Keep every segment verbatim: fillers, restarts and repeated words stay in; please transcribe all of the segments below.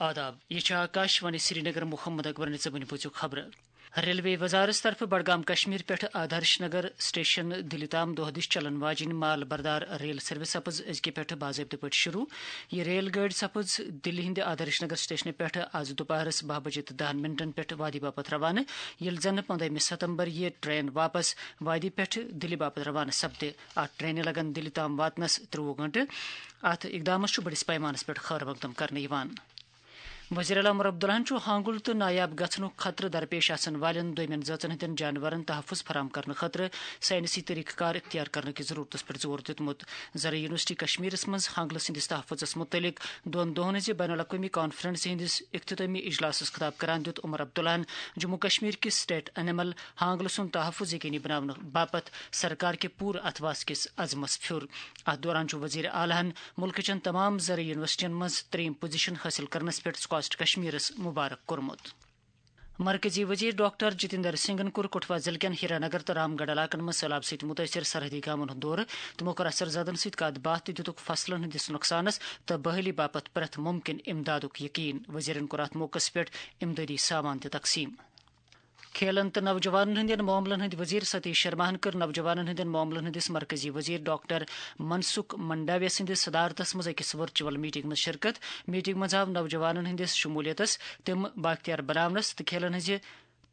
آداب، یہِ چھِ آکاش وانی سرینگر۔ محمد اکبرن زبٲنۍ بوٗزِو خبرٕ۔ ریلوے وزارت طرفہٕ بڈگام کشمیر پٮ۪ٹھ آدرش نگر سٹیشن دِلہِ تام دۄہ دِش چلن واجیٚنۍ مال بردار ریل سروس سپٕز أزکہِ پٮ۪ٹھٕ باضٲبطہٕ پٲٹھۍ شروع۔ یہِ ریل گٲڑۍ سپٕز دِلہِ ہٕنٛدِ آدرش نگر سٹیشنہٕ پٮ۪ٹھٕ آز دُپہرس باہ بجے تہٕ دَہَن منٹن پٮ۪ٹھ وادی باپتھ روانہٕ، ییٚلہِ زن پنٛدہمہِ ستمبر یہِ ٹرین واپس وادی پٮ۪ٹھٕ دِلہِ باپتھ روانہٕ سپدِ۔ اتھ ٹرینہِ لگن دِلہِ تام واتنس ترٛوُہ گھنٹہٕ۔ اتھ اقدامس چھُ بٔڑِس پیمانس پٮ۪ٹھ خٲر مقدم کرنہٕ یِوان۔ وزیر اعلیٰ عمر عبداللہن چھُ ہانگل تہٕ نایاب گژھنُک خطرٕ درپیش آسن والٮ۪ن دویمٮ۪ن زٲژن ہٕنٛدٮ۪ن جانورن تحفظ فراہم کرنہٕ خٲطرٕ سائنسی طریقہٕ کار اختیار کرنہٕ کہِ ضرورتس پٮ۪ٹھ زور دیُتمُت۔ زرعی یونیورسٹی کشمیرس منٛز ہانگلہٕ سٕنٛدِس تحفظس مُتعلق دۄن دۄہن ہٕنٛزِ بین الاقوٲمی کانفرنس ہٕنٛدِس اختتٲمی اجلاسس خطاب کران دیُت عمر عبداللہن جموں کشمیر کِس سٹیٹ انیمل ہانگلہٕ سُنٛد تحفظ یقینی بناونہٕ باپتھ سرکار کہِ پوٗرٕ اتھواس کِس عزمس پھیُر۔ اتھ دوران چھُ وزیر اعلیٰ ہن مُلکہٕ چٮ۪ن تمام زرعی یونیورسٹین منٛز ترٛیٚیِم پوزیشن حٲصِل کرنس پٮ۪ٹھ سکاسٹ کشمیرس مبارک کوٚرمُت۔ مرکزی وزیر ڈاکٹر جتیندر سنگھن کوٚر کٹھوا ضلعہٕ کٮ۪ن ہیرا نگر تہٕ رام گڑھ علاقن منٛز سٔہلاب سۭتۍ مُتٲثر سرحدی گامن ہُنٛد دورٕ۔ تِمو کٔر اثر زدن سۭتۍ کتھ باتھ تہٕ دِتُکھ فصلن ہٕنٛدِس نۄقصانس تہٕ بحٲلی باپتھ پرٛٮ۪تھ مُمکِن امدادُک یقین۔ وزیرن کوٚر اتھ موقعس پٮ۪ٹھ امدادی سامان تہِ تقسیٖم۔ کھیلن تہٕ نوجوانن ہٕنٛدٮ۪ن معاملن ہٕنٛدۍ وزیر ستیش شرماہن کٔر نوجوانن ہٕنٛدٮ۪ن معاملن ہٕنٛدِس مرکزی وزیر ڈاکٹر منسکھ منڈاوی سٕنٛدِس صدارتس منٛز أکِس ورچوئل میٹنگ منٛز شرکت۔ میٹنگ منٛز آو نوجوانن ہٕنٛدِس شمولیتس، تِم بااختیار بناونس تہٕ کھیلن ہٕنٛزِ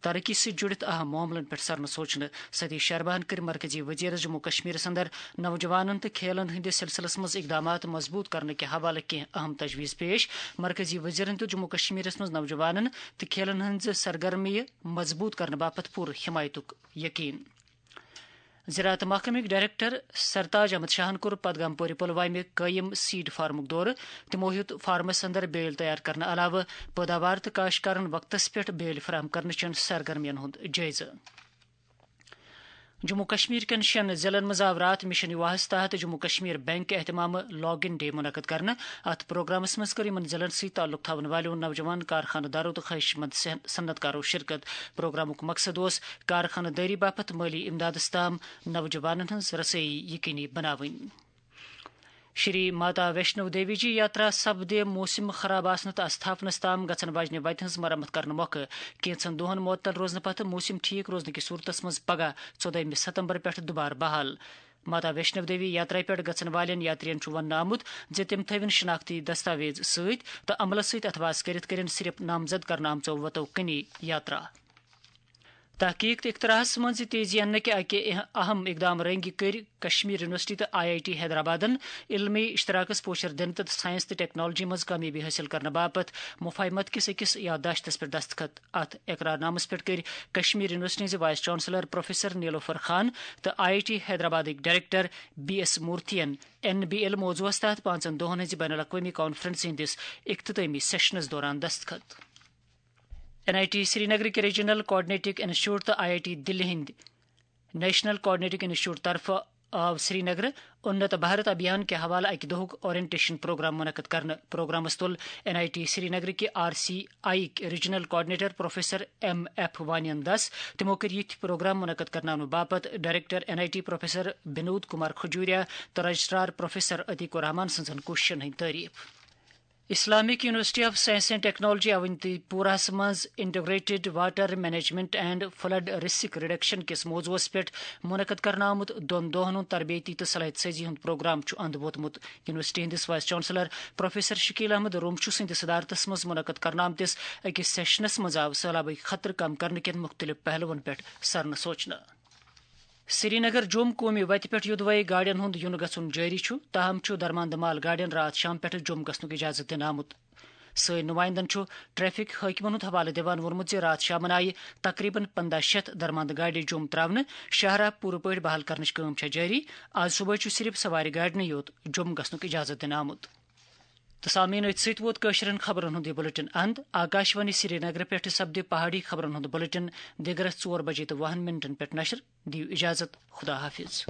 ترقی سۭتۍ جُڑِتھ اہم معاملن پٮ۪ٹھ سرنہٕ سوچنہٕ۔ ستیش شرماہن کٔرۍ مرکزی وزیرس جموں کشمیرس اندر نوجوانن تہٕ کھیلن ہٕنٛدِس سلسلس منٛز اقدامات مضبوط کرنہٕ کہِ حوالہٕ کینٛہہ اہم تجویز پیش۔ مرکزی وزیرن دیُت جموں کشمیرس منٛز نوجوانن تہٕ کھیلن ہٕنٛزٕ سرگرمیہِ مضبوط کرنہٕ باپتھ پوٗرٕ حمایتُک یقین۔ زراعت محکمٕکۍ ڈائریکٹر سرتاج احمد شاہن کوٚر پدگام پورِ پلوامہِ قٲیِم سیڈ فارمُک دورٕ۔ تِمو ہیوٚت فارمس اندر بیٲلۍ تیار کرنہٕ علاوٕ پٲداوار تہٕ کاشتکارن وقتس پٮ۪ٹھ بیٲلۍ فراہم کرنہٕ چٮ۪ن سرگرمین ہُنٛد جٲیزٕ۔ جموں کشمیر کٮ۪ن شٮ۪ن ضلعن منٛز آو راتھ مشن یواہس تحت جموں کشمیر بینک اہتمام لاگ ان ڈے منعقد کرنہٕ۔ اتھ پروگرامس منٛز کٔر یِمن ضلعن سۭتۍ تعلق تھاون والٮ۪و نوجوان کارخانہٕ دارو تہٕ خواہش مند صح-، صنعت کارو شرکت۔ پروگرامُک مقصد اوس کارخانہٕ دٲری باپتھ مٲلی امدادس تام نوجوانن ہٕنٛز رسٲیی یقینی بناوٕنۍ۔ شری ماتا ویشنو دیوی جی یاترا سپدِ موسم خراب آسنہٕ تہٕ استھاپنس تام گژھن واجنہِ وتہِ ہٕنٛز مرمت کرنہٕ مۄکھٕ کینٛژن دۄہن معطل روزنہٕ پتہٕ موسم ٹھیک روزنہٕ کہِ صورتس منٛز پگاہ ژۄدٲہمہِ ستمبر پٮ۪ٹھ دُبارٕ بحال۔ ماتا ویشنو دیوی یاترا پٮ۪ٹھ گژھن والٮ۪ن یاترین چھُ وننہٕ آمُت زِ تِم تھٲوِن شناختی دستاویز سۭتۍ تہٕ عملس سۭتۍ اتھواس کٔرِتھ کٔرِن صرف نامزد کرنہٕ آمژو وتو کنی یاترا۔ تحقیق تہٕ اختراعس منٛز تیزی اننہٕ کہِ اکہِ اہم اقدام رنگہِ کٔرۍ کشمیر یونیورسٹی تہٕ آئی آئی ٹی حیدرآبادن علمی اشتراکس پوچھر دِنہٕ تہٕ سائنس تہٕ ٹیکنالوجی منٛز کامیٲبی حٲصِل کرنہٕ باپتھ مفاہمت کِس أکِس یادداشتس پٮ۪ٹھ دستخط۔ اتھ اقرار نامس پٮ۪ٹھ کٔرۍ کشمیر یونیورسٹی ہٕنٛزِ وائس چانسلر پروفیسر نیلوفر خان تہٕ آئی آئی ٹی حیدرآبادٕکۍ ڈائریکٹر بی ایس مورتھین این بی ایل موضوعس تحت پانٛژن دۄہن ہٕنٛزِ بین الاقوٲمی کانفرنس ہٕنٛدِس اختتٲمی سیشنس دوران دستخط۔ این آئی ٹی سرینگرٕکۍ ریجنل کوآرڈینیٹنگ انسٹیٹیوٹ تہٕ آئی آئی ٹی دِلہِ ہٕنٛدِ نیشنل کوآرڈینیٹنگ انسٹیٹیوٹ طرفہٕ آو سرینگرٕ انت بھارت ابھیان کہِ حوالہٕ اکہِ دۄہُک اورینٹیشن پروگرام منعقد کرنہٕ۔ پروگرامس تُل این آئی ٹی سرینگرٕکۍ آر سی آئی یِکۍ regional coordinator professor M F وانین دس۔ تِمو کٔرۍ یِتھۍ پروگرام منعقد کرناونہٕ باپتھ director N I T professor Binod Kumar Khajuria تہٕ رجسٹرار پروفیسر عتیق الرحمان سٕنٛزن کوٗششن ہٕنٛدۍ تعریف۔ Islamic university of science and technology اونتی پوراہس منٛز integrated water management and flood risk reduction کِس موضوعس پٮ۪ٹھ منعقد کرنہٕ آمُت دۄن دۄہن ہُنٛد تربیتی تہٕ صلاحیت سازی ہُنٛد پروگرام چھُ اندٕ ووتمُت۔ یونیورسٹی ہٕنٛدِس vice chancellor professor Shakeel Ahmad Ramshoo سٕنٛدِ صدارتس منٛز منعقد کرنہٕ آمتِس أکِس سیشنس منٛز آو سہلابٕکۍ خطرٕ کم کرنہٕ کٮ۪ن مُختٔلِف پہلوَن پٮ۪ٹھ سرنہٕ سوچنہٕ۔ سرینگر جوم قومی وتہِ پٮ۪ٹھ یودوے گاڑٮ۪ن ہُنٛد یُن گژھُن جٲری چھُ، تاہم چھُ درماندٕ مال گاڑٮ۪ن راتھ شام پٮ۪ٹھٕ جوم گژھنُک اجازت دِنہٕ آمُت۔ سٲنۍ نُمایندن چھُ ٹریفک حٲکمن ہُنٛد حوالہٕ دِوان ووٚنمُت زِ راتھ شامن آیہِ تقریباً پنٛداہ شیٚتھ درماندٕ گاڑِ جوم تراونہٕ۔ شاہراہ پوٗرٕ پٲٹھۍ بحال کرنٕچ کٲم چھےٚ جٲری۔ آز صبحٲے چھُ صرف سوارِ گاڑِ نٕے یوت جوم گژھنُک اجازت دِنہٕ آمُت۔ تہٕ سامعیٖن، أتھۍ سۭتۍ ووت کٲشرٮ۪ن خبرن ہُنٛد یہِ بلیٹن اند۔ آکاشوانی سرینگرٕ پٮ۪ٹھٕ سپدِ پہاڑی خبرن ہُنٛد بلیٹن دِگرس ژور بجے تہٕ وُہن منٹن پٮ۪ٹھ نشر۔ دِیِو اجازت، خدا حافظ۔